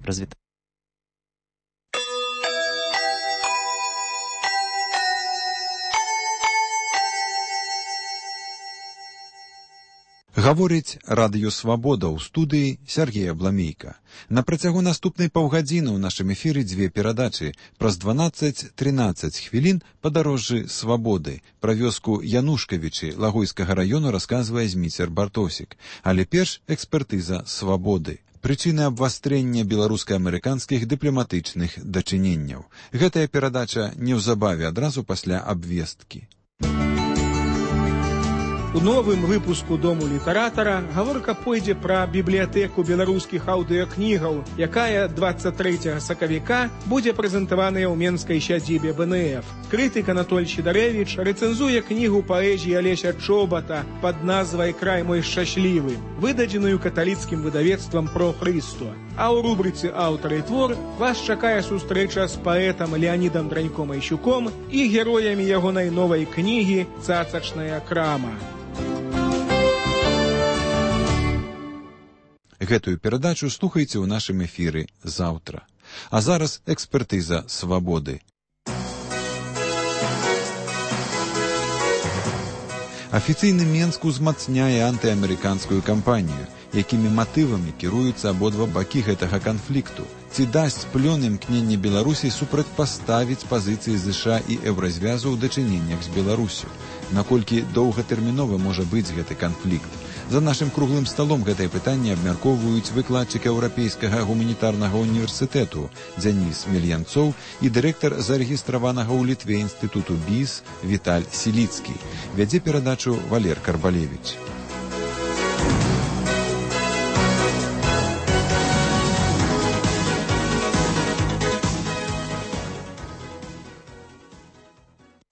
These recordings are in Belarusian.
Развітанне. Гаворыць радыё «Свабода» ў студыі Сергея Бламейка. На працягу наступнай паўгадзіны ў нашым эфіры дзве перадачы. Праз 12-13 хвілін падарожжы «Свабоды». Пра вёску Янушкавічы Лагойскага раёну расказвае Зміцер Бартосік. Але перш экспертыза «Свабоды». Прычыны абвастрэння беларуска-амерыканскіх дыпламатычных дачыненняў. Гэтая перадача неўзабаве адразу пасля абвесткі. У новым выпуску «Дому літаратара» гаворка пойдзе пра бібліятэку беларускіх аўдыёкнігаў, якая 23 сакавіка будзе прэзентаваная ў менскай сядзібе БНФ. Крытык Анатоль Сідарэвіч рэцэнзуе кнігу паэзіі Алеся Чобата пад назвай «Край мой шчаслівы», выдадзеную каталіцкім выдавецтвам «Про Христо». А ў рубрыцы «Аўтар і твор» вас чакае сустрэча з паэтам Леанідам Драньком-Айщуком і героямі ягонай новай кнігі «Цацачная крама». Гэтую перадачу слухайце ў нашым эфіры заўтра. А зараз экспертыза «Свабоды». Афіцыйны Менск узмацняе антыамерыканскую кампанію, якімі матывамі кіруюцца абодва бакі гэтага канфлікту. Ці дасць плён імкненне Беларусі супрацьпаставіць пазіцыі ЗША і Еўразвязу ў дачыненнях з Беларусю? Наколькі доўгатэрмінова можа быць гэты канфлікт? За нашым круглым сталом гэтае пытанне абмяркоўваюць выкладчык Еўрапейскага гуманітарнага універсітэту Дзяніс Мельянцоў і дырэктар зарэгістраванага ў Літве інстытуту БІС Віталь Сіліцкі. Вядзе перадачу Валер Карбалевіч.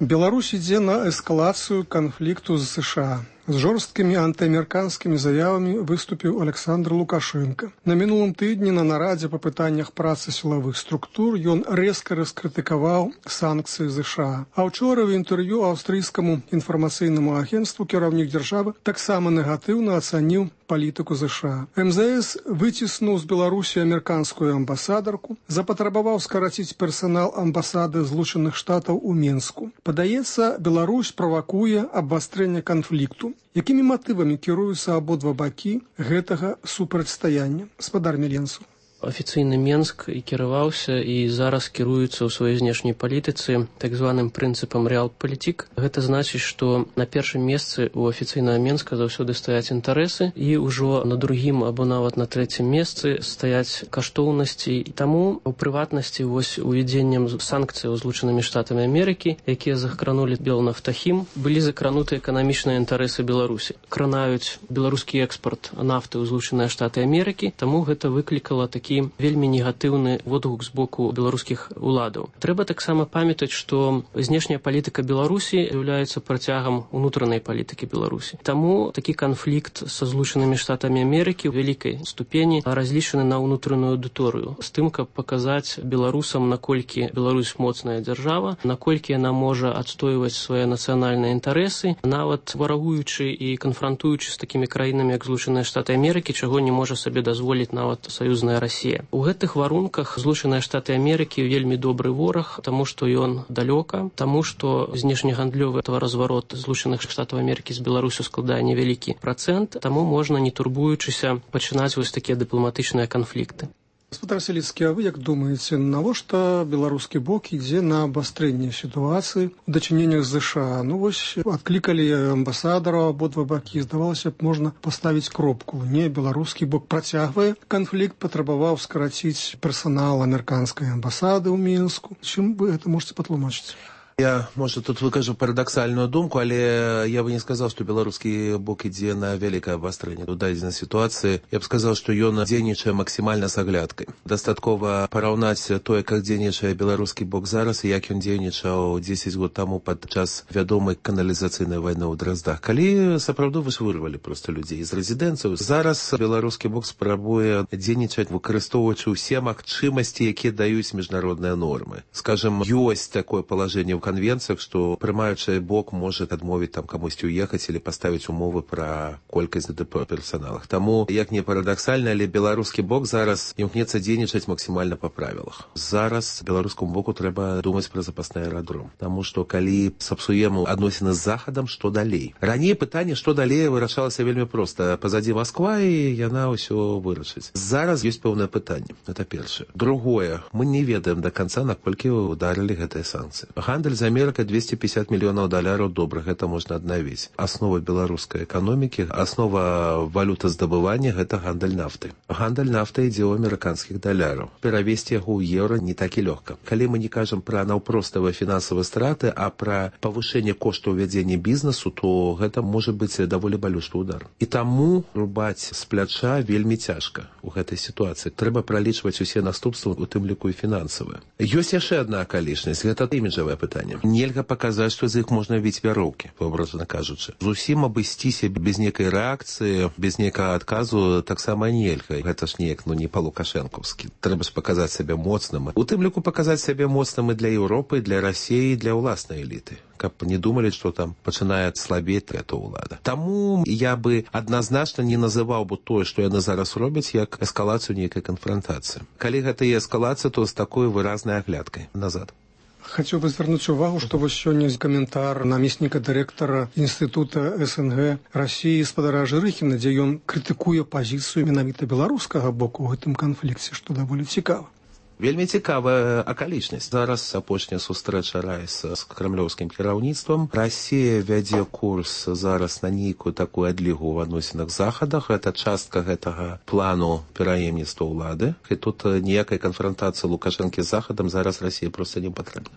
Беларусь ідзе на эскалацыю канфлікту з США. З жорсткімі антыамерыканскімі заявамі выступіў Александр Лукашенко. На мінулым тыдні на нарадзе па пытаннях працы сілавых структур ён рэзка раскрытыкаваў санкцыі США. А ўчора ў інтэрв'ю аўстрыйскаму інфармацыйнаму агенцтву кіраўнік дзяржавы таксама негатыўна ацаніў палітыку США. МЗС выціснуў з Беларусі амерыканскую амбасадарку, запатрабаваў скараціць персанал амбасады Злучаных Штатаў у Менску. Падаецца, Беларусь правакуе абвастрэнне канфлікту. Якімі матывамі кіруюцца абодва бакі гэтага супрацьстаяння? Гаспадар Мельянцоў. Афіцыйны Менск і кіраваўся і зараз кіруецца ў сваёй знешняй палітыцы так званым прынцыпам рэалпалітик. Гэта значыць, што на першым месцы ў афіцыйнага Менска заўсёды стаяць інтарэсы і ўжо на другім або нават на трэцім месцы стаяць каштоўнасці. Таму у прыватнасці вось увядзеннем санкцыяў Злучанымі Штатамі Амерыкі, якія закранулі Белнафтахім, былі закрануты эканамічныя інтарэсы Беларусі. Кранаюць беларускі экспарт нафты ў Злучаныя Штаты Амерыкі, таму гэта выклікала такі вельмі негатыўны водгук з боку беларускіх уладаў. Трэба таксама памятаць, што знешняя палітыка Беларусі з'яўляецца працягам унутранай палітыкі Беларусі. Таму такі канфлікт са Злучанымі Штатамі Амерыкі ў вялікай ступені разлічаны на ўнутраную аўдыторыю, з тым, каб паказаць беларусам, наколькі Беларусь моцная дзяржава, наколькі яна можа адстойваць свае нацыянальныя інтарэсы, нават варагуючы і канфрантуючы з такімі краінамі, як Злучаныя Штаты Амерыкі, чаго не можа сабе дазволіць нават саюзная Расія. У гэтых варунках Злучаныя Штаты Амерыкі вельмі добры вораг, таму што ён далёка, таму што знешнегандлёвы разварот Злучаных Штатаў Амерыкі з Беларусю складае невялікі працэнт, таму можна, не турбуючыся, пачынаць вось такія дыпламатычныя канфлікты. Гаспадар Сіліцкі, а вы як думаеце, навошта беларускі бок ідзе на абвастрэнне сітуацыі ў дачыненнях з ЗША? Ну вось адклікалі амбасадараў абодва бакі, здавалася б, можна паставіць кропку. Не, беларускі бок працягвае канфлікт, патрабаваў скараціць персанал амерыканскай амбасады ў Мінску. Чым вы гэта можаце патлумачыць? Я, может, тут выкажу парадоксальную думку, але я бы не сказал, что белорусский бок ідзе на вялікае абвастрэнне у дадзенай сітуацыі. Я б сказал, что ён дзейнічае максімальна з аглядкай. Дастаткова параўнаць тое, как дзейнічае беларускі бок зараз і як ён дзейнічаў 10 год таму падчас вядомай каналізацыйнай вайны ў Драздах, калі сапраўды вырвалі проста людзей з рэзідэнцыяў. Зараз беларускі бок спрабуе дзейнічаць, выкарыстоўваючы ўсе магчымасці, якія даюць міжнародныя нормы. Скажем, ёсць такое палажэнне ў канвенцыях, што прымаючы бок можа адмовіць там камусьці уехаць или паставіць умовы пра колькасць ДДП персаналах. Таму, як не парадаксальна, але беларускі бок зараз імкнецца дзейнічаць максімальна па правілах. Зараз беларускаму боку трэба думаць пра запасны аэрадром. Таму што калі сапсуем адносіны з захадам, што далей? Раней пытанне, што далей, вырашалася вельмі проста. Пазадзі Масква, і яна ўсё вырашыць. Зараз ёсць пэўнае пытанне. Это першае. Другое, мы не ведаем до конца, наколькі ударили гэтыя санкцыі. Гандаль з Амерыкай $250 мільёнаў добра, гэта можна аднавіць. Аснова беларускай эканомікі, аснова валютаздабывання гэта гандаль нафты. Гандаль нафты ідзе ў амерыканскіх даляраў. Перавесці яго ў еўра не так і лёгка. Калі мы не кажам пра наўпроставыя фінансавыя страты, а пра павышэнне коштаў вядзення бізнесу, то гэта можа быць даволі балючы удар. І таму рубаць з пляча вельмі цяжка ў гэтай сітуацыі. Трэба пралічваць усе наступствы, у тым ліку і фінансавыя. Ёсць яшчэ адна акалічнасць, гэта іміджавае пытанне. Нельга паказаць, што з іх можна віць вяроўкі, образна кажучы. Зусім абысціся без некай рэакцыі, без некага адказу таксама нельга. Гэта ж неяк, не па-лукашэнкаўскі. Трэба ж паказаць сябе моцным. У тым ліку паказаць сябе моцным і для Еўропы, для Расіі, для ўласнай эліты. Каб не думалі, што там пачынае слабець эта ўлада. Таму я бы адназначна не называў бы тое, што яны зараз робяць, як эскалацыю нейкай канфронтацыі. Калі гэта і эскалацыя, то з такой выразнай аглядкай назад. Хацеў бы звярнуць увагу, што вось сёння каментар намесніка дырэктара Інстытута СНГ Расіі спадара Жырыхіна, дзе ён крытыкуе пазіцыю менавіта беларускага боку ў гэтым канфлікце, што даволі цікава. Вельмі цікавая акалічнасць. Зараз апошняя сустрэча Райса з крамлёўскім кіраўніцтвам. Расія вядзе курс зараз на нейкую такую адлігу ў адносінах з захадах. Гэта частка гэтага плану пераемніцтва ўлады. І тут ніякай канфронтацыі Лукашэнкі з захадам зараз Расіі проста не патрэбна.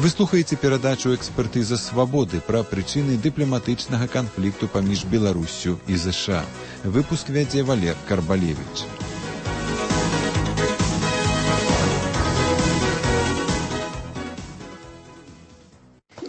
Вы слухаеце перадачу «Экспертыза свабоды» пра прычыны дыпламатычнага канфлікту паміж Беларуссю і ЗША. Выпуск вядзе Валер Карбалевіч.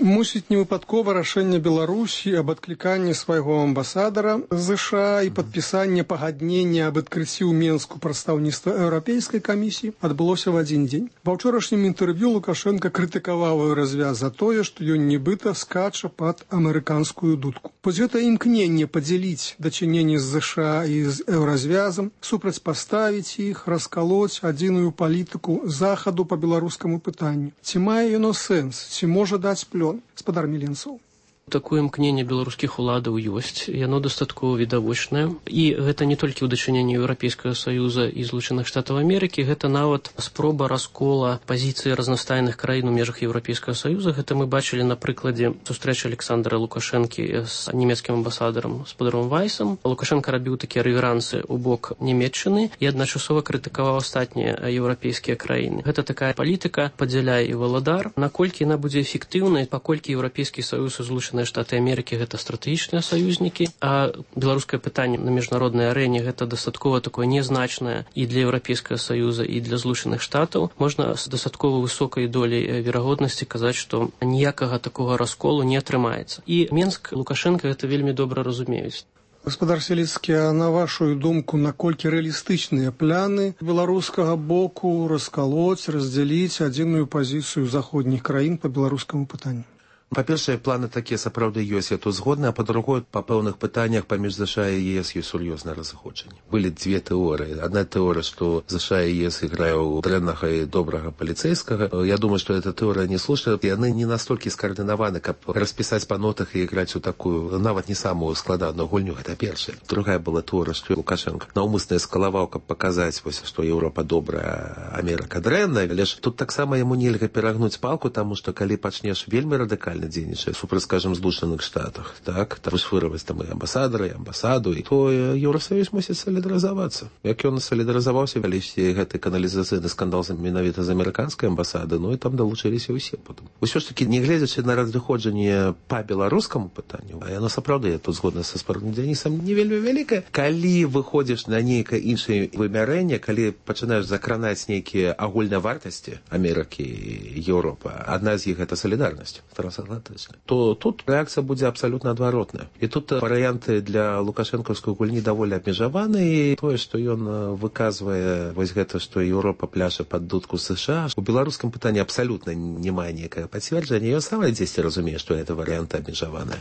Мусіць, невыпадкова рашэнне Беларусі аб адкліканні свайго амбасадара ЗША і падпісанне пагаднення аб адкрыцці ў Менску прадстаўніцтва Еўрапейскай камісіі адбылося в адзін дзень. Ва ўчорашнім інтэрв'ю Лукашенка крытыкаваў Еўразвяз за тое, што ён нібыта скача пад амерыканскую дудку. Вось гэта імкненне падзяліць дачыненні з ЗША і з Еўразвязам, супрацьпаставіць іх, раскалоць адзіную палітыку захаду па беларускаму пытанню. Ці мае яно сэнс, ці можа даць плён? Спадар Міленцаў. Такое імкненне беларускіх уладаў ёсць, яно дастаткова відавочнае. І гэта не толькі ў дачыненні Еўрапейскага Саюза і Злучаных Штатаў Амерыкі, гэта нават спроба раскола пазіцыі разнастайных краін у межах Еўрапейскага Саюза. Гэта мы бачылі на прыкладзе сустрэчы Александра Лукашэнкі з нямецкім амбасадарам спадаром Вайсам. Лукашенка рабіў такія рэверансы ў бок Нямецчыны і адначасова крытыкаваў астатнія еўрапейскія краіны. Гэта такая палітыка падзяляй і валадар. Наколькі яна будзе эфектыўнай, паколькі Еўрапейскі Саюз і Злучаныя Штаты Амерыкі гэта стратэгічныя саюзнікі, а беларускае пытанне на міжнароднай арэне гэта дастаткова такое незначнае і для Еўрапейскага Саюза, і для Злучаных Штатаў. Можна з дастаткова высокай доляй верагоднасці казаць, што ніякага такога расколу не атрымаецца. І Менск, Лукашенка гэта вельмі добра разумеюць. Гаспадар Селіцкі, а на вашу думку, наколькі рэалістычныя пляны беларускага боку раскалоць, раздзяліць адзіную пазіцыю заходніх краін па беларускаму пытанню? Па-першае, планы такія сапраўды ёсць, я тут згодны, а па-другое, па пэўных пытаннях паміж ЗША і ЕС ёсць сур'ёзнае разыходжанне. Былі дзве тэорыі. Адна тэорыя, што ЗША і ЕС іграю дрэннага і добрага паліцэйскага. Я думаю, што эта тэорыя не слушная. Яны не настолькі скаардынаваны, каб распісаць па нотах і іграць у такую, нават не самую складаную гульню. Гэта першая. Другая была тэорыя, што Лукашенко наўмысна эскалаваў, каб паказаць, што Еўропа добрая, Амерыка дрэнная. Але ж тут таксама яму нельга перагнуць палку, таму што калі пачнеш вельмі радыкальна дзейнічае супраць, скажем, Злучаных Штатах, так, там вырваць там і амбасадара, і амбасаду, і то Еўросаюз мусіць салідарызавацца. Як ён салідарызаваўся, калісьці гэты каналізацыйны скандал менавіта з амерыканскай амбасады, і там далучыліся ўсе потым. Усё ж такі, не гледзячы на разыходжанне па беларускаму пытанню, а яно сапраўды, я тут згодна са спарным Дзянісам, не вельмі вялікае. Калі выходзіш на нейкае іншае вымярэнне, калі пачынаеш закранаць нейкія агульныя вартасці Амерыкі і Еўропы, адна з іх гэта салідарнасць. лагатычна, то тут рэакцыя будзе абсалютна адваротная. І тут варыянты для лукашэнкаўскай гульні даволі абмежаваны, і тое, што ён выказвае вось гэта, што Еўропа пляша пад дудку США, у беларускім пытанні абсалютна не мае некае пацверджання, ён сам дзесьці разумее, што гэта варыянты абмежаваныя.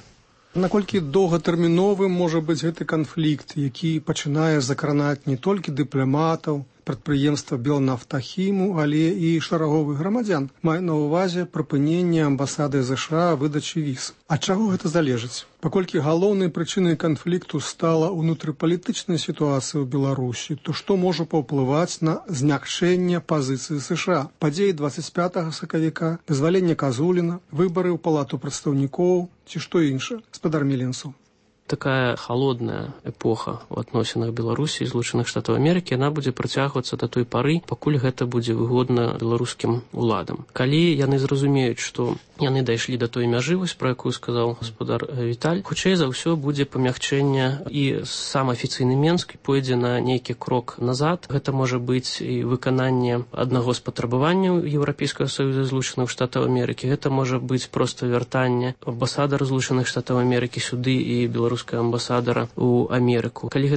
Наколькі доўгатэрміновым можа быць гэты канфлікт, які пачынае закранаць не толькі дыпламатаў, прадпрыемства Белнафтахіму, але і шараговых грамадзян, мае на ўвазе прыпыненне амбасады ЗША выдачы віз. Ад чаго гэта залежыць? Паколькі галоўнай прычынай канфлікту стала ўнутрыпалітычная сітуацыя ў Беларусі, то што можа паўплываць на змякчэнне пазіцыі США? Падзеі 25 сакавіка, вызваленне Казуліна, выбары ў палату прадстаўнікоў ці што іншае? Спадар Меленцаў. Такая холодная эпоха ў адносінах Беларусі і Злучаных Штатаў Амерыкі, яна будзе працягвацца да той пары, пакуль гэта будзе выгодна беларускім уладам. Калі яны зразумеюць, што яны дайшлі да той мяжы, вось пра якую сказаў гаспадар Віталь, хутчэй за ўсё будзе памягчэнне, і сам афіцыйны Менск пойдзе на нейкі крок назад. Гэта можа быць і выкананне аднаго з патрабаванняў Еўрапейскага Саюза Злучаных Штатаў Амерыкі. Гэта можа быць проста вяртанне амбасадара Злучаных Штатаў Амерыкі сюды і беларускага амбасадара ў Амерыку. Калі